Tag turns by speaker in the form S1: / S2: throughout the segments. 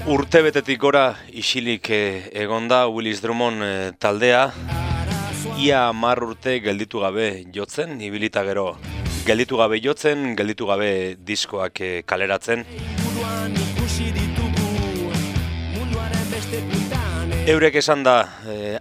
S1: Urtebetetik gora isilik egonda Willis Drummond taldea, ia 10 urte gelditu gabe jotzen, ibilita gero. Gelditu gabe jotzen, gelditu gabe diskoak kaleratzen. Eurek esan da,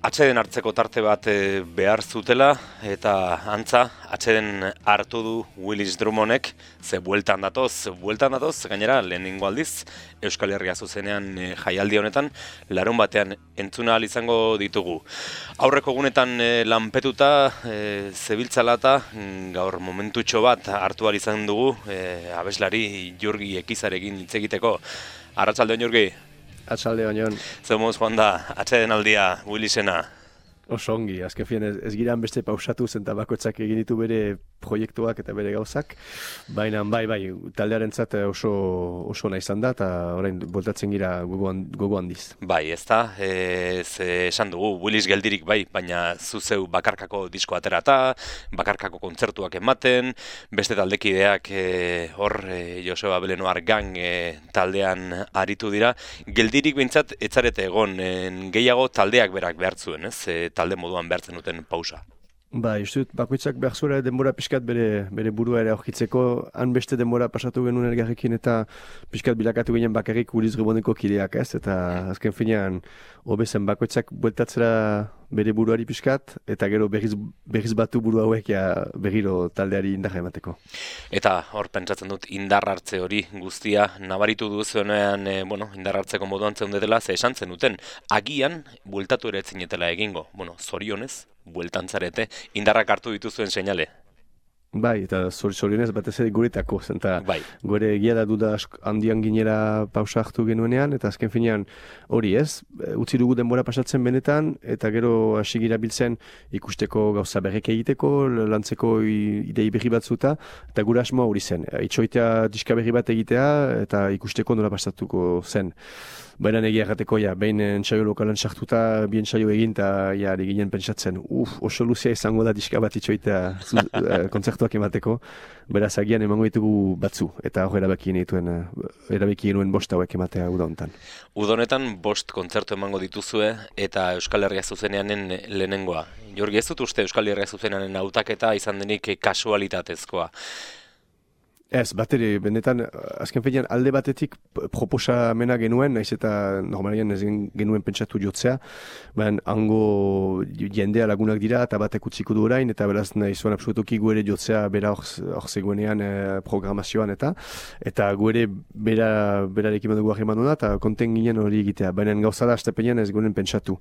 S1: atseden hartzeko tarte bat behar zutela, eta antza, atseden hartu du Willis Drummondek, ze bueltan datoz, gainera lehenengo aldiz, Euskal Herria zuzenean jaialdi honetan, larun batean entzuna ahal izango ditugu. Aurreko egunetan lanpetuta, zebiltzala eta gaur momentutxo bat hartu ahal izan dugu, abeslari Jurgi Ekizarekin hitz egiteko. Arratsaldeon Jurgi.
S2: Arratsaldeon Jon.
S1: Zemuz joan da, atseden aldia, Willisena.
S2: Oso ongi, azken fian ez giran beste pausatu zen eta bakoitzak egin ditu bere proiektuak eta bere gauzak, baina bai, taldearentzat oso nahi izan da eta orain voltatzen gira gogo handiz.
S1: Bai, ez da, esan dugu, Willis geldirik bai, baina zuzeu bakarkako disko aterata, bakarkako kontzertuak ematen, beste taldekideak hor Joseba Belenoar Gang taldean aritu dira, geldirik behintzat etzarete egon, gehiago taldeak berak behartzuen, ez? Talde moduan behartzen duten pausa.
S2: Bai, uste dut, bakoitzak behar zuela denbora pixkat bere burua ere aurkitzeko, han beste denbora pasatu genuen elgarrekin eta pixkat bilakatu ginen bakarrik Willis Drummondeko kideak, ez? Eta azken finean, hobezen bakoitzak bueltatzera bere buruari pixkat, eta gero berriz batu buru hauek berriro taldeari indarra emateko. Eta
S1: hor pentsatzen dut indar hartze hori guztia nabaritu duzuenean, indar hartzeko moduan zeundetela, ze esan zenuten, agian bueltatu ere etzinetela egingo, zorionez, bueltantzarete, indarrak hartu dituzuen seinale. Bai, eta zorionez batez ere guretako, zenta gure egia da duda handian ginera pausa hartu genuenean, eta azken finean hori ez, utzi dugu denbora pasatzen benetan, eta gero hasi gira biltzen ikusteko gauza berrek egiteko, lantzeko idei berri batzuta, eta gure asmoa hori zen. Itxoitea diska berri bat egitea, eta ikusteko nola pasatuko zen. Baina egia errateko, behin entsaio lokalan sartuta, bien entsaio egin, eta ari ginen pentsatzen, oso luzea izango da diska bat itxoitea kontzertuak emateko, beraz agian emango ditugu batzu, eta hor erabaki genuen bost hauek ematea uda honetan. Uda honetan bost kontzertu emango dituzue, eta Euskal Herria zuzeneanen lehenengoa. Jorgi, ez dut uste Euskal Herria zuzeneanen hautaketa izan denik kasualitatezkoa. Ez, bateri, benetan, azken finean alde batetik proposamena genuen, naiz eta normalian ez genuen pentsatu jotzea, baina hango jendea lagunak dira eta batek utziko du orain, eta beraz nahi zuen absolutoki guere jotzea bera hor zegoenean programazioan eta guere berarekin badugu ahreman duna, eta konten ginen hori egitea, baina gauza da astepenean ez genuen pentsatu.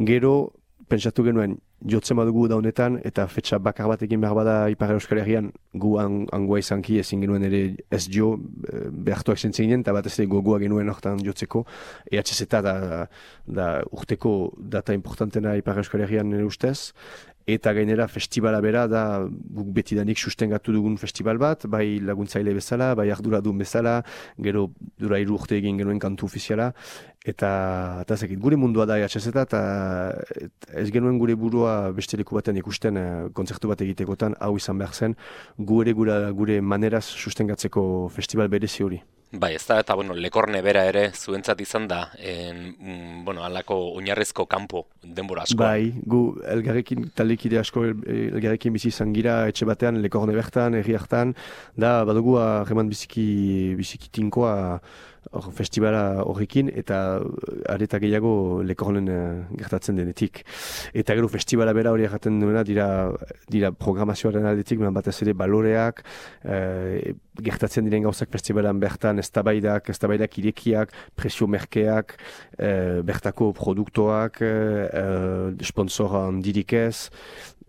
S1: Gero, pentsatu genuen, jotzen badugu da honetan, eta fetxa bakar bat egin behar bada Ipar Euskal Herrian gu angoa izanki ezin genuen ere ez jo behartuak zentzen ginen, eta batez ere gogoa genuen hortan jotzeko. EHZ da urteko data importantena Ipar Euskal Herrian nire ustez, eta gainera festivala bera da guk betidanik sustengatu dugun festival bat, bai laguntzaile bezala, bai arduradun bezala, gero dura 3 urte egin genuen kantu ofiziala, eta zekit, gure mundua da EHZ eta ez genuen gure burua beste leku batean ikusten kontzertu bat egitekotan, hau izan behar zen, gure maneraz sustengatzeko festival berezi hori. Bai, ez da, eta Lekorne bera ere zuentzat izan da, halako oinarrezko kanpo denbora asko. Bai, gu elgarrekin, taldekide asko elgarrekin bizi izan gira, etxe batean, Lekorne bertan, herri hartan, da, badugu harreman biziki tinkoa festivala horrekin, eta areta gehiago Lekornen gertatzen denetik. Eta gero festivala bera hori erraten duena dira programazioaren aldetik, batez ere baloreak, gertatzen diren gauzak festivalan bertan, eztabaidak irekiak, presio merkeak, bertako produktoak, sponsora handirik ez.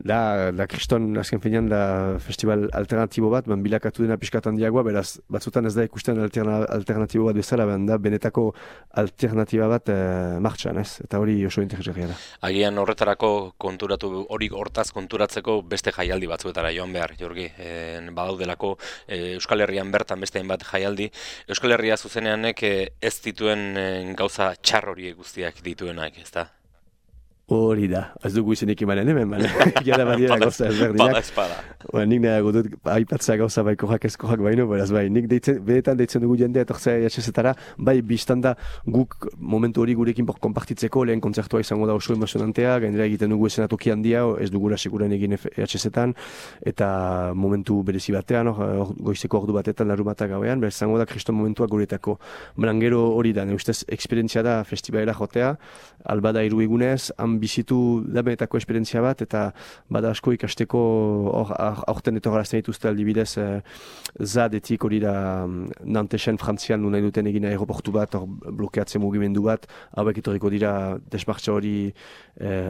S1: Da kriston, azken finean, da festival alternatibo bat, bilakatu dena pixkat handiagoa, beraz, batzutan ez da ikusten alternatibo bat bezala, da benetako alternatiba bat martxan, ez? Eta hori oso interesgarria da. Agian horretarako hortaz konturatzeko beste jaialdi batzuetara joan behar, Jorgi, badaudelako Euskal Herrian bertan beste hainbat jaialdi. Euskal Herria zuzeneanek ez dituen gauza txar horiek guztiak dituenak, ez da?
S2: Hori da, ez dugu izenik imanen hemen, gara badiera gauza ezberdinak.
S1: Espada.
S2: Nik nahiago dut aipatzea gauza bai korrak ezkorrak baino, beraz bai, nik benetan deitzen dugu jendea etortzea EHZ-etara, bai biztanda guk momentu hori gurekin konpartitzeko, lehen kontzertua izango da oso emozionantea, gainera egiten dugu esenatoki handia, ez dugula sekuran egin EHZ-etan, eta momentu berezi batean, goizeko ordu batetan larumatak gauean, beraz izango da kriston momentua guretako. Baina gero hori da, ustez esperientzia da festivalera jotea, albada hiru egunez, bizitu dabenetako esperientzia bat, eta bada asko ikasteko aurten etorgarazten dituzte aldibidez zadetik hori da Nantesen Frantzian nahi duten egin aeroportu bat, blokeatzen mugimendu bat, hauek etorriko dira desmartza hori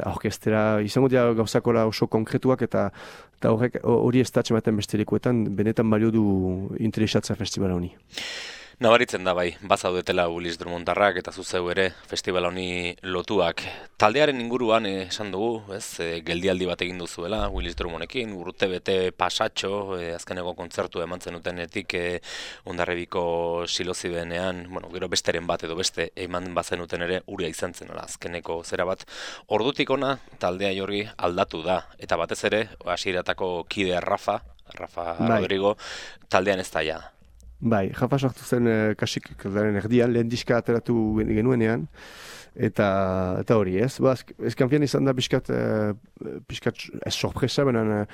S2: aurkestera, izango dira gauzakola oso konkretuak, eta hori ez datxematen beste lekuetan, benetan balio du interesatza festivala honi.
S1: Nabaritzen da bai, bazaudetela Willis Drummondarrak eta zuzeu ere festival honi lotuak. Taldearen inguruan esan dugu, geldialdi bat egin duzuela Willis Drummondekin, urte bete pasatxo, azkeneko kontzertu eman zenutenetik Hondarribiko Silozibenean, gero besteren bat edo beste eman bazenuten ere uria izan zen, azkeneko zera bat. Ordutik ona taldea jorgi aldatu da, eta batez ere hasieratako kide Rafa Rodrigo, taldean ez daia.
S2: Bai, Rafa sartu zen kasik erdian, lehen diska ateratu genuenean, eta hori ez. Ezkanfian izan da pixkat ez sorpresa, benen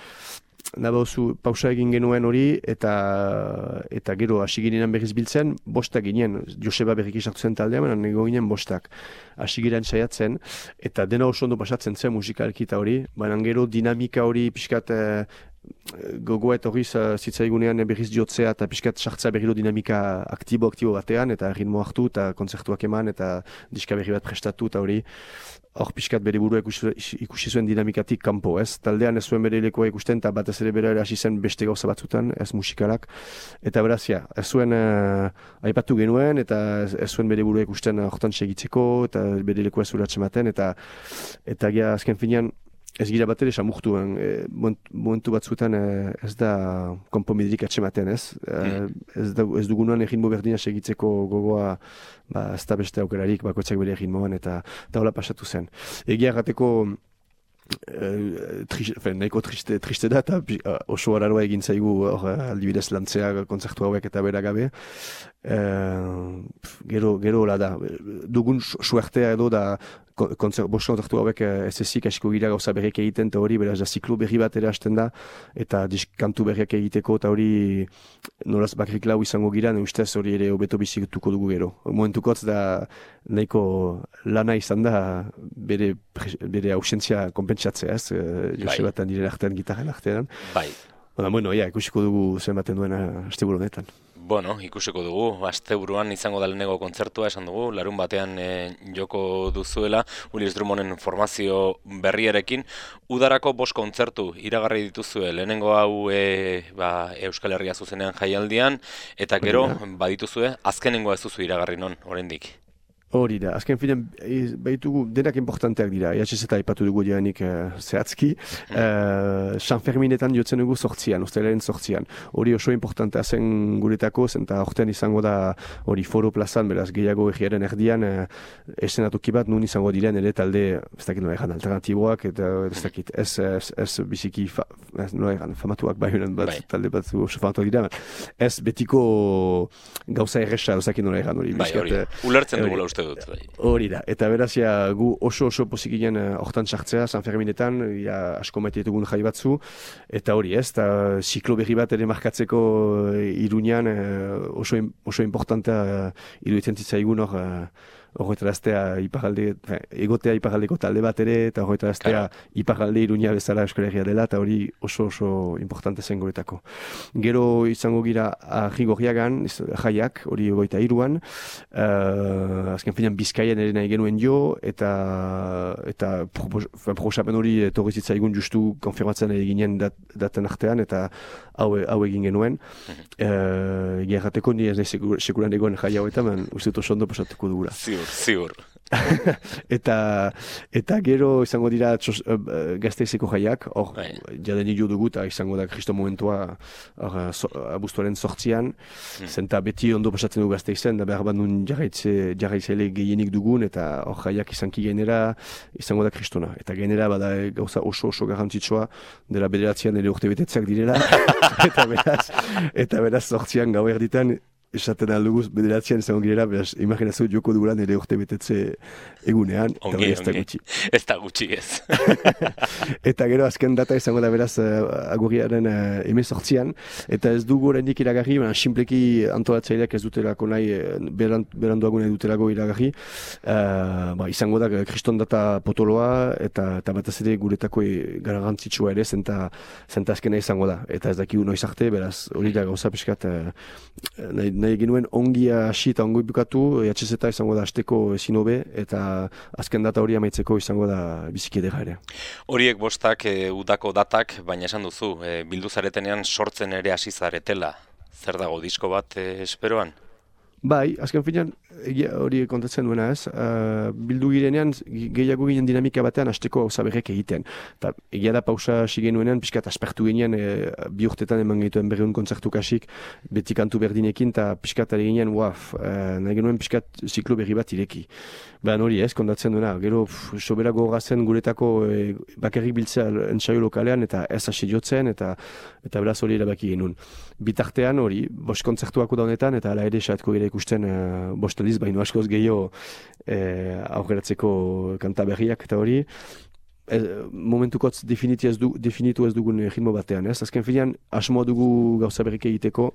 S2: nabauzu pausa egin genuen hori, eta gero hasi ginen berriz biltzen, bostak ginen, Joseba berriki sartu zen taldea, benen nego ginen bostak. Hasi ginen saiatzen, eta dena oso ondo pasatzen zen musikalki eta hori, benen gero dinamika hori pixkat gogoa etorriz zitzaigunean berriz jotzea eta pixkat sartzea berriro dinamika aktibo batean, eta ritmo hartu eta kontzertuak eman eta diska berri bat prestatu eta hori hor pixkat bere burua ikusi zuen dinamikatik kanpo, ez? Taldean ez zuen bere lekoa ikusten eta batez ere bere hasi zen beste gauza batzutan, ez musikalak, eta beraz, ez zuen aipatu genuen eta ez zuen bere burua ikusten hortan segitzeko eta bere lekoa zuratzen maten, eta azken finean ez gira bat ere samurtu, momentu batzuetan ez da konponbiderik atxematen, ez? Ez dugunuan egin berdina segitzeko gogoa, ez da beste aukerarik bakoitzak bere egin eta hola pasatu zen. Egia errateko nahiko triste da, eta oso araroa egin zaigu aldibidez lantzea kontzertu hauek eta bera gabe. Gero hola da, dugun suertea edo da bost kontzertu hauek ez ezik asko gira gauza berriak egiten, eta hori beraz da ziklo berri bat ere hasten da, eta kantu berriak egiteko, eta hori nolaz bakrik lau izango gira, ustez hori ere hobeto bizituko dugu gero. Momentukotz da nahiko lana izan da bere ausentzia konpentsatzea, ez? Joseba eta nire artean, gitarren artean.
S1: Bai.
S2: Ikusiko dugu zenbaten duen asteburu honetan.
S1: Ikusiko dugu, asteburuan izango da lehenengo kontzertua, esan dugu, larun batean joko duzuela, Willis Drummonden formazio berriarekin. Udarako 5 kontzertu iragarri dituzue, lehenengo hau Euskal Herria zuzenean jaialdian, eta gero badituzue, azkenengoa ez duzu iragarri non, oraindik.
S2: Hori da, azken finean baitugu denak importanteak dira, EHZ eta aipatu dugu dianik zehatzki. San Ferminetan jotzen dugu 8an, ostelaren 8an. Hori oso importantea zen guretako, eta hortean izango da hori Foro plazan, beraz gehiago egiaren erdian, esenatuki bat nun izango diren ere talde, ez dakit nola egan, alternatiboak, eta ez dakit, ez biziki famatuak baionan bat, talde bat oso famatuak dira, ez betiko gauza erresa, ez dakit nola egan hori.
S1: Ulertzen dugula uste dut.
S2: Hori da, eta beraz gu oso posik ginen hortan sartzea, San Ferminetan, asko maite ditugun jai batzu, eta hori ez, eta ziklo berri bat ere markatzeko Iruñan oso importantea iruditzen zitzaigun horretaraztea egotea iparraldeko talde bat ere, eta horretaraztea iparralde Iruña bezala Euskal Herria dela, eta hori oso importante zen guretako. Gero izango gira Arrigorriagan, jaiak, hori 23an, azken finean Bizkaian ere nahi genuen jo, eta proposamen hori etorri zitzaigun justu konfirmatzen eginen daten artean, eta hau egin genuen. Egia errateko ni ez nahi sekuran egon jai hau eta uste oso ondo pasatuko dugula.
S1: Ziur.
S2: eta gero izango dira Gasteizeko jaiak, hor jaden hilu dugu eta izango da Kristo momentua abuztuaren 8an, zenta beti ondo pasatzen dugu Gasteizen, da behar bat nun jarraitzaile gehienik dugun, eta hor jaiak izanki genera izango da Kristona. Eta genera bada gauza oso garrantzitsua, dela bederatzean ere urte betetzeak direla, eta beraz 8an gau erditan, esaten alduguz, bederatzean izango girela, beraz, imaginazio joko dugulan ere urte betetze egunean, eta ez da gutxi.
S1: Ez da gutxi, ez.
S2: Eta gero azken data izango da beraz agurriaren 18an, eta ez dugu oraindik iragarri, sinpleki antolatzaileak ez dutelako nahi, beranduago nahi dutelako iragarri, izango da kriston data potoloa, eta batez ere guretako garrantzitsua ere, zenta azkena izango da. Eta ez dakigu noiz arte, beraz, hori da gauza pixkat, nahi genuen ongia hasi eta ongo bukatu, EHZ izango da hasteko ezin hobe, eta azken data hori amaitzeko izango da biziki edera ere.
S1: Horiek bostak udako datak, baina esan duzu, bildu zaretenean sortzen ere hasi zaretela. Zer dago, disko bat esperoan?
S2: Bai, azken finean, hori kontatzen duena ez, bildu girenean, gehiago ginen dinamika batean hasteko gauza berrek egiten. Eta egia da pausa hasi genuenean, pixkat aspertu ginean, bi urtetan eman gehituen berreun kontzertu kasik, beti kantu berdinekin, eta pixkat ari ginean, nahi genuen pixkat ziklo berri bat ireki. Baina hori ez, kontatzen duena, gero sobera gogorazen guretako bakarrik biltzea entsaio lokalean, eta ez hasi jotzen, eta beraz hori erabaki genuen. Bitartean hori, bost kontzertuako da honetan, eta ala ere saatko gira ikusten bost aliz, baino askoz gehiago aurreratzeko kanta berriak eta hori. Momentukotz definitu ez dugun ritmo batean, ez? Azken finean, asmoa dugu gauza berrik egiteko,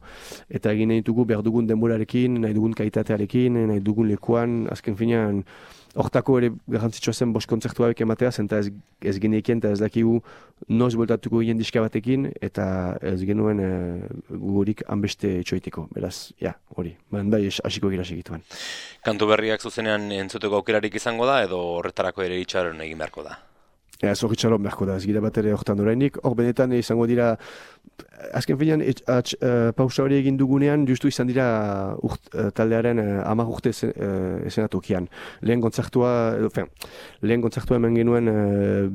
S2: eta egin nahi dugu behar dugun denborarekin, nahi dugun kaitatearekin, nahi dugun lekuan, azken finean, hortako ere garrantzitsua zen bost kontzertu hauek ematea, zenta ez genekien eta ez dakigu noiz boltatuko ginen diska batekin, eta ez genuen gugurik hanbeste etxoiteko, beraz, hori, bai hasiko gira segituan.
S1: Kantu berriak zuzenean entzuteko aukerarik izango da, edo horretarako ere itxaron egin beharko da?
S2: Ez hori txalon beharko da, ez gira bat ere horretan orainik. Hor benetan izango dira, azken finean pausa hori egin dugunean, justu izan dira taldearen 10 urte esenatokian. Lehen kontzertua hemen genuen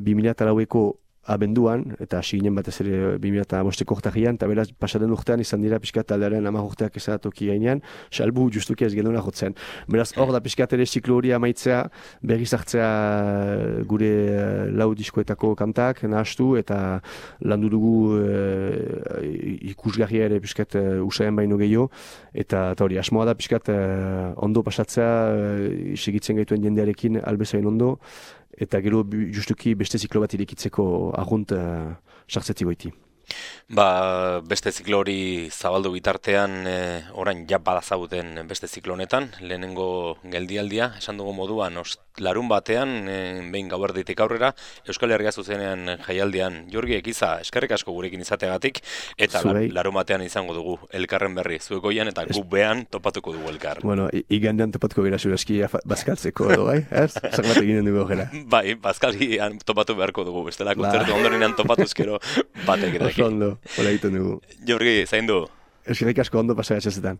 S2: 2004ko abenduan, eta hasi ginen batez ere 2005ko urtarrian, eta beraz pasaden urtean izan dira pixkat taldearen 10 urteak esenatoki gainean, salbu justuki ez genuela jotzen. Beraz hor da pixkat ere ziklo hori amaitzea, berriz hartzea gure lau diskoetako kantak nahastu, eta landu dugu ikusgarria ere pixkat usaien baino gehiago, eta hori asmoa da pixkat ondo pasatzea, segitzen gaituen jendearekin albezain ondo, eta gero justuki beste ziklo bat irekitzeko agunt sartzetzi goiti.
S1: Beste ziklo hori zabaldu bitartean, orain badazaguten beste ziklo honetan, lehenengo geldialdia, esan dugu moduan, larun batean, behin gauerditik aurrera, Euskal Herria zuzenean jaialdian, Jorgi Ekiza, eskerrik asko gurekin izateagatik, eta larun batean izango dugu elkarren berri, zuek goian eta gu behan topatuko dugu elkar.
S2: Bueno, igandean topatuko gira zuraski bazkaltzeko edo, bai? Zer bat eginen dugu gera?
S1: Bai, bazkalgian topatu beharko dugu, bestela kontzertu ondorenean topatuzkero batek edo.
S2: Ondo, hola egiten dugu.
S1: Jorgi, zain du?
S2: Eskerrik asko ondo pasagatzezetan.